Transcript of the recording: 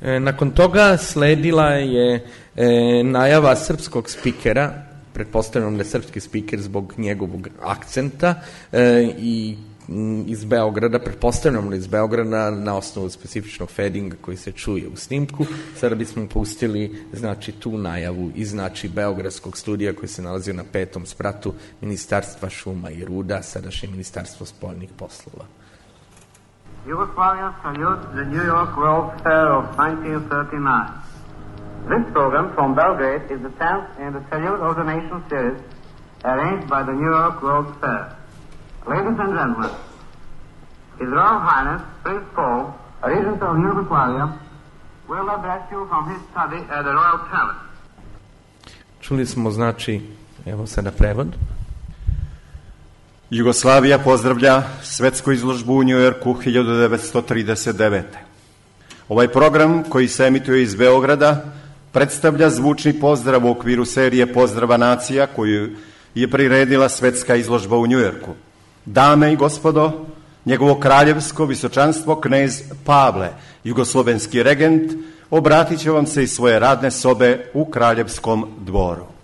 Nakon toga sledila je najava srpskog spikera, pretpostavljam da je srpski spiker zbog njegovog akcenta, i iz Beograda, pretpostavljam iz Beograda na osnovu specifičnog fadinga koji se čuje u snimku. Sada bismo pustili tu najavu iz Beogradskog studija koji se nalazio na 5. spratu Ministarstva šuma i ruda, sadašnje Ministarstvo spoljnih poslova. Yugoslavia salutes the New York World Fair of 1939. This program from Belgrade is the 10th in the Salute of the Nation series arranged by the New York World Fair. Ladies and gentlemen, His Royal Highness Prince Paul, Regent of Yugoslavia, will address you from his study at the Royal Palace. Čuli smo, evo sada prevod. Jugoslavija pozdravlja svetsku izložbu u Njujorku 1939. Ovaj program koji se emituje iz Beograda predstavlja zvučni pozdrav u okviru serije Pozdrava nacija koju je priredila svetska izložba u Njujorku. Dame i gospodo, njegovo kraljevsko visočanstvo knez Pavle, jugoslovenski regent, obratit će vam se iz svoje radne sobe u Kraljevskom dvoru.